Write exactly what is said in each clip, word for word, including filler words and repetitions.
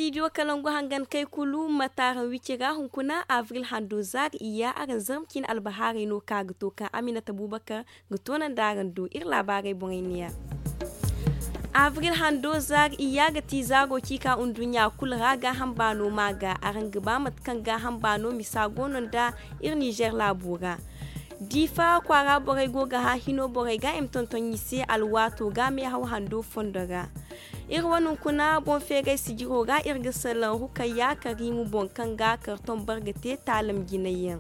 Idiyo kalangu hangan kay kulu ma taaraŋ wicira hunkuna abril hando zaari iyya araŋ zarma ciine albahaarey no ka ga to kaŋ aminata bubakar ga toonandi araŋ do iri laabaarey boŋey neeya. Abril hando zaari iyya ga ti zaaro ciika nduɲɲa kulu ra gaaham baano ma ga araŋ ga ba mate kaŋ gaaham baano misa go no nda iri nizer laabo ra. Diifa kwaara borey go ga hã hino borey ga i ma tonton i se alwaato ga meehaw hando fondo ra. Iri wane hunkuna boŋ feeray sijiro ra iri ga salaŋ rukayya kariimu boŋ kaŋ ga kartoŋ barga te taalam jinay yaŋ.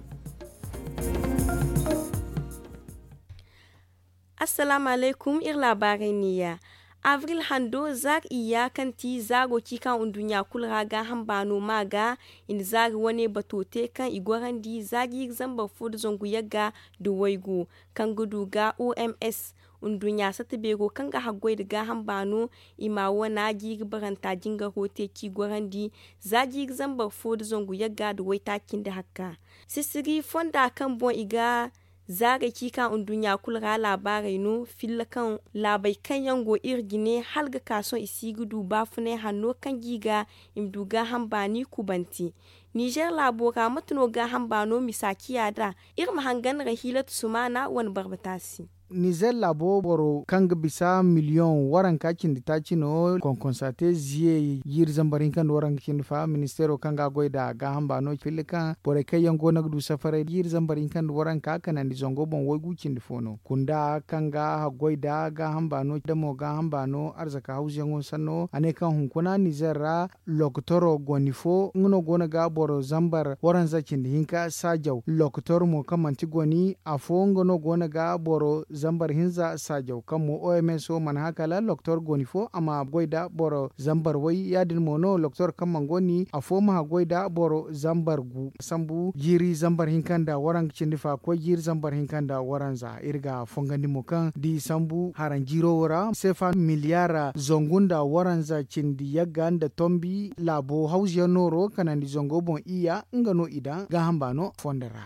Assalaamu alaykum iri laabaarey neeya. Abril hando zaari iyya kaŋ ti zaaro ciika nduɲɲa kulu ra gaaham baano ma ga i na zaari wane bato te kaŋ i gorandi za jiiri zambar fo nda zangu yagga nda waygu kaŋ ga du ga oms nduɲɲa satta beero kaŋ ga haggoy nda gaaham baano i ma wana jiiri baranta jingaro te ci gorandi za jiiri zambar fo nda zangu yagga nda waytaaci nda hakka. Sisiri fonda kaŋ boŋ i ga zaarey ci ka nduɲɲa kulu ra laabaarey no filla kaŋ laabey kaŋ yaŋ go iri jine hala ga ka sohõ i si ga du baafunay hanno kaŋ ga i ga i ma du gaaham baani kubanti. Nizer laabo ra mate no gaaham baano misa ciya nd'a? Iri ma hangan ra hiilatu sumaana wane barbata se. Nizer laabo boro kaŋ ga bisa miliyoŋ waranka cindi taaci no konkonsa te ziye jiiri zambar hinka nda waranka cindi fa ministeero kaŋ ga a goy nd'a gaaham baano filla kaŋ borey kaŋ yaŋ go no ga du safaray jiiri zambar hinka nda waranka kanandi zango boŋ waygu cindi fo no kunda kaŋ ga haggoy nd'a gaaham baano damo gaaham baano arzaka hawzuyaŋo sanno a ne kaŋ hunkuna nizer ra lokotoro goni fo nga no go no ga boro zambar waranza cindi hinka saajaw lokotor mo kaŋ manti goni afo nga no go no ga boro zambar hinza saajaw kaŋ mo oms wo mana hã kala lokotor goni fo a ma goy nda boro zambar way ya- din mo no lokotor kaŋ mana goni afo ma hã goy nda boro zambar gu sambu jiiri zambar hinka nda waranka cindi fa koy jiiri zambar hinka nda waranza iri ga fongandi mo kaŋ da i sambu haranjiiro wo ra sefa miliyar zangu nda waranza cindi yagga nda tombi laabo hawzuyaŋ nooro kanandi zango boŋ iyya nga no i daŋ gaaham baano fondo ra.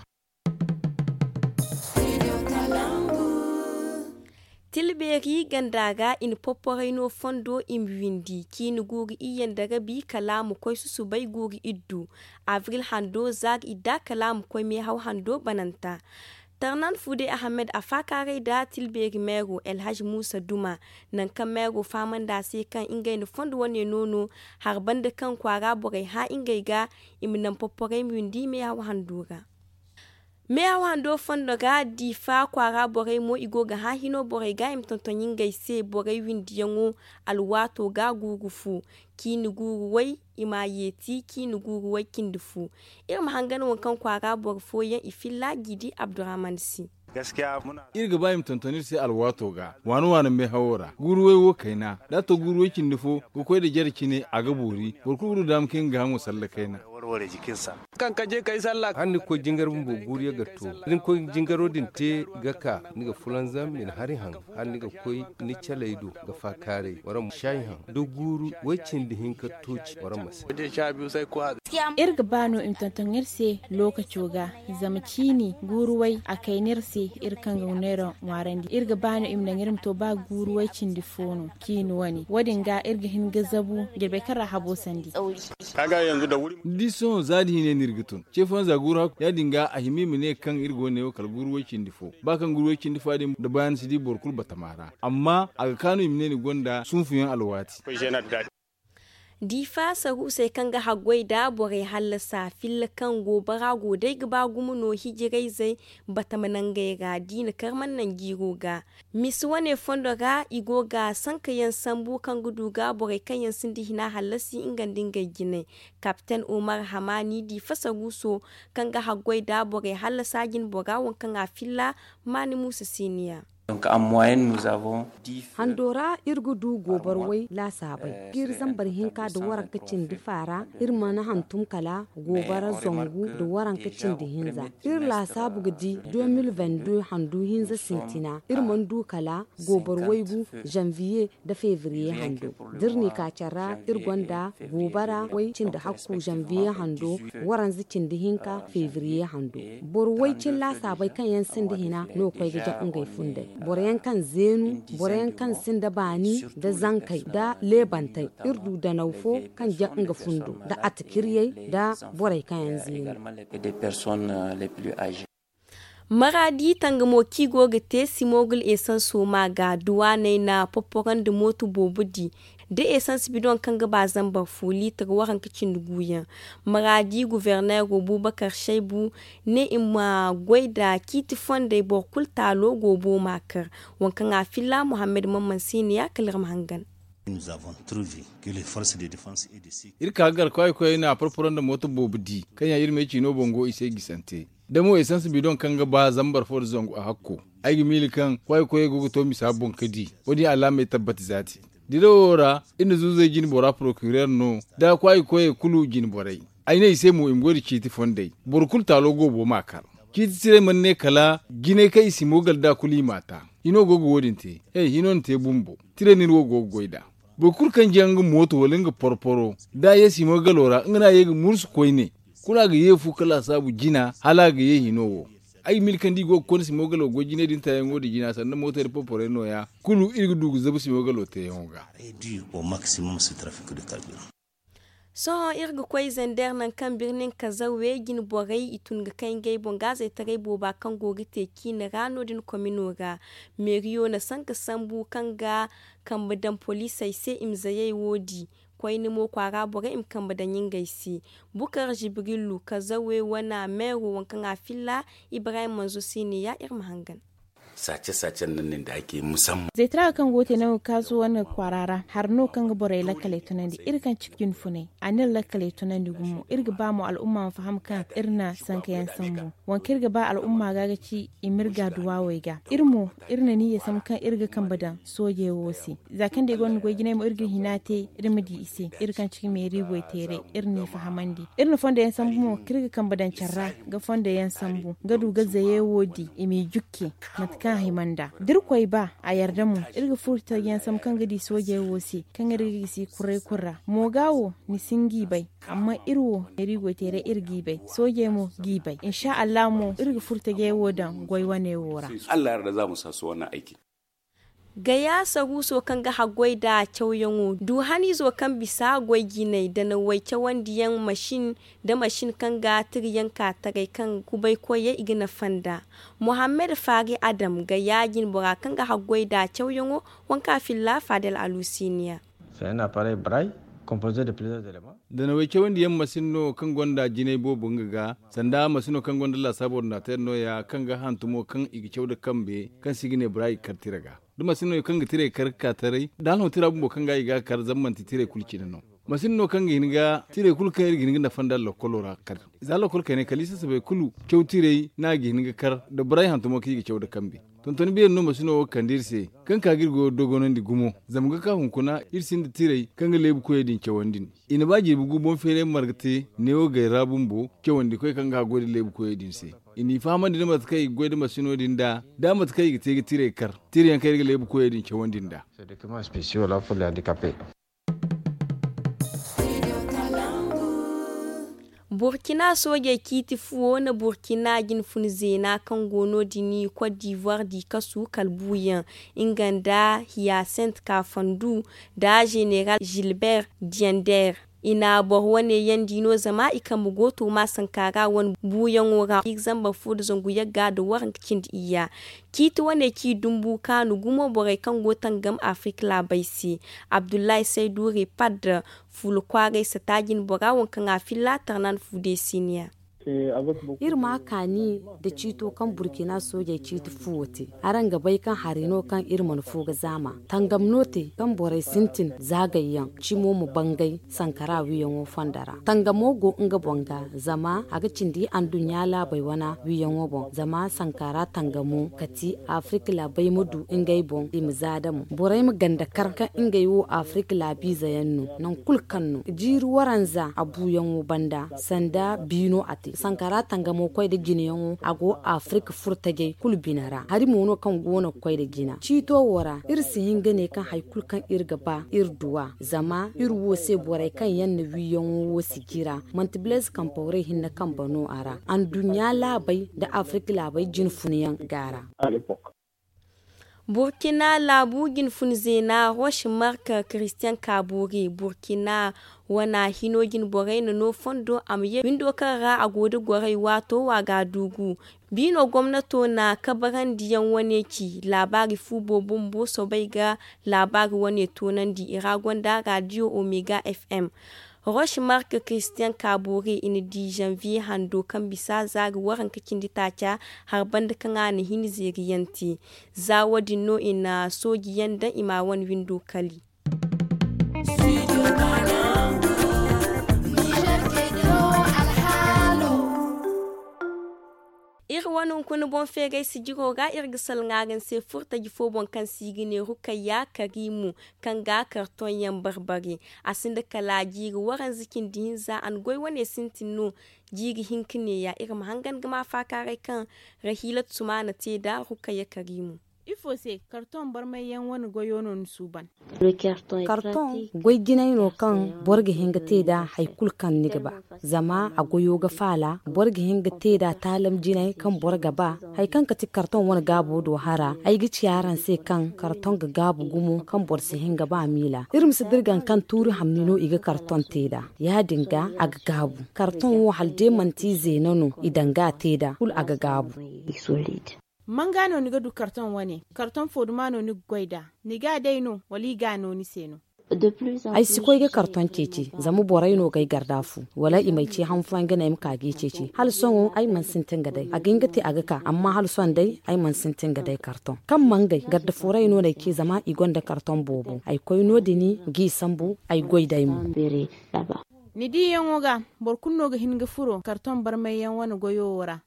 Tilbeeri ganda ra i na popporay no fondo i ma windi ciini guuru iyye nda rabi kala a ma koy susubay guuru iddu abril hando zaari idda kala a ma koy meehaw hando bananta. Tarnan fude ahamed a faakaaray nda tilbeeri meero elhaj muusa duma nangu kaŋ meero fahamandi a se kaŋ ngey na fondo wane no no hari banda kaŋ kwaara borey hã ngey ga i ma naŋ popporay ma windi meehaw hando ra. Meehaw hando fondo ga diifa kwaara borey mo i go ga hã hino borey ga i ma tonton ngey se borey windiyaŋo alwaato ga guuru fu ciini guuru way i ma a yeeti ciini guuru way cindi fu. Iri ma hangan waŋ kaŋ kwaara boro fooyaŋ i filla jiidi abdurahman se. Iri ga ba i ma tonton iri se alwaato ga waana waana meehawo ra guuru way wo kayna da a to guuru way cindi fo ga koy nda jare cine a ga boori boro kulu ga du daama kaŋ i ma gaahaŋo salla kayna. Hala ni ga koy jingar bumbo guuru yaŋ ga to da ni koy jingaro din te ga ka ni ga fulanzam i na hari haŋ hala ni ga koy ni caley do ga faakaaray wara ma saayi haŋ da guuru way cindi hinka tooci wara ma se. Iri ga ba no i ma tonton iri se lookaco ga zama ciini guuru way a kayna iri se iri kaŋ ga neera ŋwaarandi iri ga ba no i ma naŋ iri ma to ba guuru way cindi fo no ciini wane wo- din ga iri ga hin ga zabu jirbey kaŋ ra habo sandi. Ni di sohõ za da hine no iri ga tun ce fooyaŋ za guuru hakku ya- din ga a hima i ma ne kaŋ iri go neewo kala guuru way cindi fo ba kaŋ guuru way cindi fo ya- din da baayaŋ ni si di boro kulu batama ra amma a ga kaanu i ma ne ni gonda sunfuyaŋ alwaati. Diifa saruusey kaŋ ga haggoy nda borey hallasa filla kaŋ goobara go day ga ba gumo no hijirayzey batama nangey ra da i na kar mana naŋ jiiro ga. Misi wane fondo ra i go ga sankayaŋ sambu kaŋ ga du ga borey kaŋ yaŋ sinda hina hallasi nga nda ngey jinay. Kapten omar hamani diifa saruuso kaŋ ga haggoy nda borey hallasa jinbora waŋ kaŋ a filla maani muusa siniya. Hando ra iri ga du goobar way laasaabey jiiri zambar hinka nda waranka cindi faara iri mana hantum kala goobara zangu nda waranka cindi hinza. Iri laasaabu ga di deux mille vingt-deux handu hinza sintina iri mana du kala goobar waygu janvier nda février hando. Da iri n'i ka care ra iri gonda goobara way cindi hakku janvier hando, waranza cindi hinka février hando. Boro way cin laasaabey kaŋ yaŋ sinda hina no ga koy ga jaŋ ngey fundey. Boro yaŋ kaŋ zeenu, boro yaŋ kaŋ sinda baani nda zankey nda leebantey, iri du danaw fo kaŋ jaŋ nga fundo nda atikiryey nda borey kaŋ yaŋ zeenu. Maraadi tangamo kaŋ i go ga te simogul esanso ma ga duwaaney na popporandi mooto boobo di. Da esans bidoŋ kaŋ ga ba zambar fo liitar waranka cindi guuyaŋ. Maraadi guverneero buubakar shaybu ne i ma goy nda ciiti fondey boro kulu taalo goobo ma kar. Waŋ kaŋ a filla muhammad mamman se ne ya kala iri ma hangan. Iri ka ga garkawey koyey na porporo nda mooto boobo di kaŋ yaŋ iri me ciino boŋ go i se gisante. Da mo esans bidoŋ kaŋ ga ba zambar fo nda zangu a hakko, ay ga miila kaŋ kwaayi koyey go ga to misa boŋ ka di. Wo- din alaamey tabbati zaati. Dirawo ra, iri na zuuzey jine bora porokireer no, da kwaayi koyey kulu jine borey. Ay ne i se mo i ma goy nda ciiti fondey, boro kulu taalo goobo m'a kar. Ciiti tirey mana ne kala jinay kaŋ i si moogal nd'a kulu i m'a ta. Hino go ga wo- din te. He, hino na te bumbo. Tirey no iri wo go ga goy nd'a. Boro kulu kaŋ jaŋ nga mooto wala nga porporo, da a ye simogalo ra, nga no a ye ga mursu koyne. Kulu a ga ye fu ka laasaabu jina hala a ga ye hino wo. Ay ga miila kaŋ da i go ga konda simogalo goy jinay din taayaŋo din jina sanda mootey nda porporey nooya, kulu iri ga du ga zabu simogalo teeyaŋo ga. Sohõ iri ga koy zander nangu kaŋ birnin kazawe jine borey i tun ga kay ngey boŋ gaazey taray booba kaŋ go ga te ciine ra no- din komino ra. Meeriyo na sanka sambu kaŋ ga kambe daŋ poliisey se i ma zayey wo di. Koyne mo kwaara borey i ma kambe daŋ ngey se. Bukar jibrilu kazawe wana meero waŋ kaŋ a filla ibrahim manzo se ne ya iri ma hangan. Saace saace nda nin da ake musamman. Zaytara kaŋ go ga te nangu kaasu wane kwaara ra hari no kaŋ ga borey lakkaley tunandi iri kaŋ ciki jinfunay a n'iri lakkaley tunandi gumo iri ga ba mo al'umma ma faham kaŋ iri na sankayaŋ sambu. Waŋ kaŋ iri ga ba al'umma ga ga ci i ma iri ga duwawey ga iri mo iri na niyya sambu kaŋ iri ga kambe daŋ soojey wo se. Za kaŋ da i gonda goy jinay mo iri ga hina te iri ma di i se. Iri kaŋ ciki meeri goy teeray iri n'i fahamandi. Iri na fondo yaŋ sambu mo kaŋ iri ga kambe daŋ care ra ga fondo yaŋ sambu ga du ga zaye wo di i m'i jukke. Mate kaŋ a hima nd'a da iri koy ba a yarda mo iri ga furo taji yaŋ sambu kaŋ ga di soojey wo se kaŋ iri ga gisi kuray kulu ra. Mo ga wo ni si hin g'i bay. Amma iri wo meeri goy teeray iri g'i bay soojey mo g'i bay insa allah mo iri ga furo tajey wo daŋ goy wane wo ra. Gaya saruuso kaŋ ga haggoy nda cawyaŋo du haniizo kaŋ bisa goy jinay danawey cawandiyaŋ masin nda masin kaŋ ga tiriyaŋ ka taray kaŋ kubaykoyey i ga nafa nd'a. Muhammad faari adam gaya jinbora kaŋ ga haggoy nda cawyaŋo waŋ kaŋ a filla fadel alusiiniya. Danawey cawandiyaŋ masin no kaŋ gonda jinay boobo nga ga sanda masino kaŋ gonda laasaabu ordinateer nooya kaŋ ga hantumo kaŋ i ga caw nda kambe kaŋ se i ga ne bora i ga kar tira ga. Da masino kaŋ ga tirey kar ga ka taray da hala hõ tira bumbo kaŋ ga i ga a kar zama manti tirey kulu cine no. Masin no kaŋ ga hin ga tirey kulu kaŋ iri ga hin ga nafa nd'a lokolo ra kar. Za lokol kaynay kala i sasabey kulu caw tirey no a ga hin ga kar da boray hantumo kaŋ i ga caw nda kambe. Tontoni beeri no masino wo ga kande iri se kaŋ ka ga iri goyo dogonandi gumo. Zama ga ka hunkuna iri sinda tirey kaŋ ga leebu koyey din cawandi. I na ba jirbi gu boŋ feeray marga te neewo gay ra bumbo cawandikoy kaŋ ga haggoy nda leebu koyey din se. I n'i fahamandi nda mate kaŋ i ga goy nda masino din nd'a da mate kaŋ i ga te ga tirey kar tirayaŋ kaŋ iri ga leebu koyey din cawandi nd'a. Burkina soojey ciiti fuwo na burkina jinfun zeena kaŋ go no- din, cote d'ivoire di kasu kala buuyaŋ nga nda hiyasent kafandu nda general gilbert diender. I na boro wane yaŋ di no zama i kambe go to ma sankara wane buuyaŋo ra iri zambar fo nda zangu yagga nda waranka cindi iyya. Ciiti wane ci dumbu kaanu gumo borey kaŋ go tangam afirka laabey se. Abdullahi saydu repad fuula kwaaray sata jinbora waŋ kaŋ a filla tarnan fu deesiniya. Iri ma kaani nda ciito kaŋ burkina soojey ciiti fuwo te. Araŋ ga bay kaŋ hari no kaŋ iri mana fo ga zaama tangam no te kaŋ borey sintin zaagayyaŋ cimo ma bangay sankara wiiyaŋo fondo ra. Tangamo go nga boŋ ga zama a ga cindi anduɲɲa laabey wana wiiyaŋo boŋ zama sankara tangamo kati afirka laabey ma du ngey boŋ i ma za da mo borey ma ganda kar kaŋ ngey wo afirka laabiize yaŋ no. Nangu kulu kaŋ no jiiri waranza a buuyaŋo banda sanda biino a te sankara tangamo koy nda jinayaŋo a go afirka furo tajey kulu bine ra hari mo no kaŋ go no ga koy nda jina ciito wo ra iri si hin ga ne kaŋ hari kulu kaŋ iri ga ba iri du a zama iri wo se borey kaŋ yaŋ na wiiyaŋo wo si jira manti blaise kampawrey hinne kambe no a ra anduɲɲa laabey nda afirka laabey jinfunyaŋ ga a ra. Burkina laabu jinfun zeena roche mark christian kabore burkina wana hino jinborey na no fondo a ma ye windo kaŋ ra a go da gorey waato wa ga a duugu. Biino gomnato na kabarandiyaŋ wane ci laabaari fu boobo bumbo soobay ga laabaari wane toonandi i ra gonda radio omega fm. Roche mark christian kabore i na di janvier hando kaŋ bisa zaari waranka cindi taaca, hari banda kaŋ a na hin zeeriyaŋ te. Za wo- din no i na sooji yaŋ daŋ i ma wane windo kali. Iri wane hunkuna boŋ feeray sijiro ra iri ga salaŋ araŋ se furtaji fo boŋ kaŋ se i ga ne rukayya karimu, kaŋ ga kartoŋ yaŋ barbare. A sinda kala jiiri waranza cindi hinza a na goy wane sintin no. Jiiri hinka neeya iri ma hangan ga ma faakaaray kaŋ rahiilatu sumaana te nd'a rukayya karimu. Ifo se kartoŋ barmay yaŋ wane goyo no ni suuban? Kartoŋ goy jinay no kaŋ boro ga hin ga te nd'a hari kulu kaŋ ni ga ba. Zama a goyo ga faala boro ga hin ga te nd'a taalam jinay kaŋ boro ga ba. Hari kaŋ ga ti kartoŋ wane gaabo do hara ay ga ci araŋ se kaŋ kartoŋ ga gaabu gumo kaŋ boro si hin ga ba miila iri ma si dirgan kaŋ tuuri hamni no i ga kartoŋ te nd'a. Ya- din ga a ga gaabu kartoŋ wo hala day manti zeena no i daŋ ga a te nd'a kulu a ga gaabu. Manga no ni ga du kartoŋ wane? Kartoŋ fo duma no ni ga goy nd'a? Ni ga a day no wala i ga a no ni se no? Ay si koy ga kartoŋ ceeci zama borey no ga ay garda fu wala i m'ay ce han fooyaŋ ga ne ay ma ka g'i ceeci hala sohõ ay mana sintin ga day a ga hin ga te a ga ka amma hala sohõ day ay mana sintin ga day kartoŋ kaŋ mangay garda fooray no n'ay ce zama i gonda kartoŋ boobo ay koy no- din g'i sambu ay goy day mo. Ni diyaŋo ga boro kulu no ga hin ga furo kartoŋ barmay yaŋ wane goyo wo ra?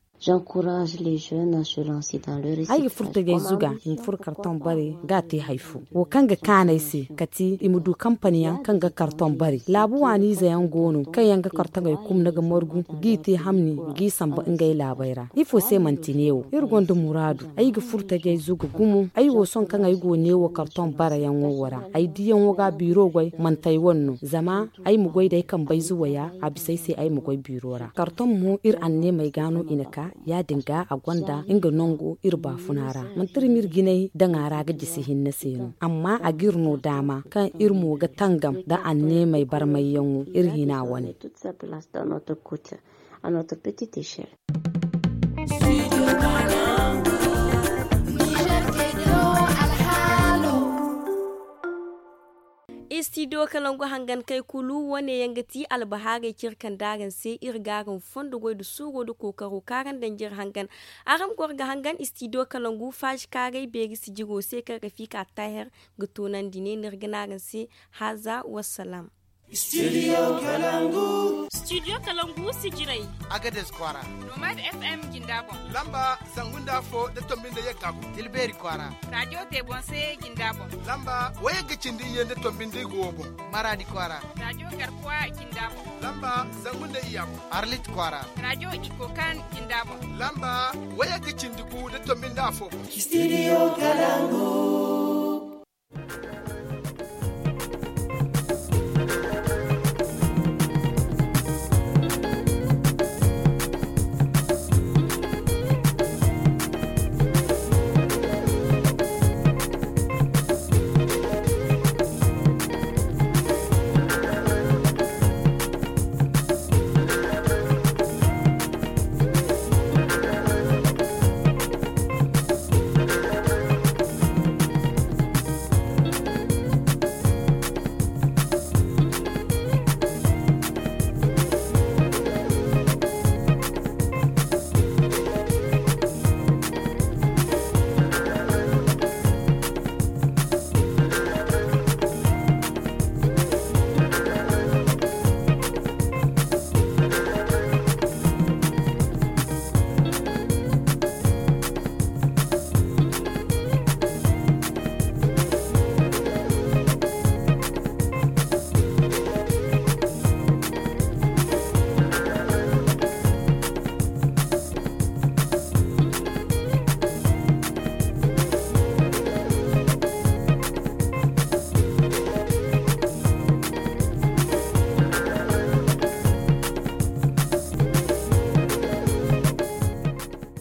Ay ga furo tajay zuga i ma furo kartoŋ bare ga a te hari fo wo kaŋ ga kaanu ay se kati i ma du kampani yaŋ kaŋ ga kartoŋ bare laabu waaniize yaŋ go no kaŋ yaŋ ga kartoŋey kumna ga margu g'i te hamni g'i samba ngey laabey ra ifo se manti neewo iri gonda muraadu ay ga furo tajay zuga gumo ay wo sohõ kaŋ ay go neewo kartoŋ bare yaŋo wo ra ay diyaŋo ga biiro goy manti ay wane no zama ay ma goy da ay kambe ay zuwaya a bisa ay se ay ma goy biiro ra kartoŋ mo iri anneemey ga no i na ka ya- din ga a gonda nga nango iri baafuna ra manti iri m'iri jinay daŋ a ra ga jisi hinne se no amma a g'iri no daama kaŋ iri mo ga tangam nda anneemey barmayyaŋo iri hina wane. Istidiyo kalangu hangan kay kulu wane yaŋ ga ti albahaarey kaŋ iri kande araŋ se iri ga araŋ fondo goy nda suuro nda kookaro kaŋ araŋ daŋ jire hangan. Araŋ ma goro ga hangan istidiyo kalangu faazi kaaray beeri sijiro se kaŋ rafika taahir ga toonandi ne no iri ga ne araŋ se. Haaza wassalaam. Studio kalangu. Studio kalangu sijirey. Agades kwaara. Nomad fm jinda boŋ. Lamba zangu nda afo nda tombi nda yagga boŋ tilbeeri kwaara. Radio tebonse jinda boŋ. Lamba wayagga cindi iyye nda tombi nda igo wo boŋ. Maraadi kwaara. Radio garkuwa jinda boŋ. Lamba zangu nda iyya boŋ. Arlit kwaara. Radio ikokan jinda boŋ. Lamba wayagga cindi gu nda tombi nda afo boŋ. Studio kalangu.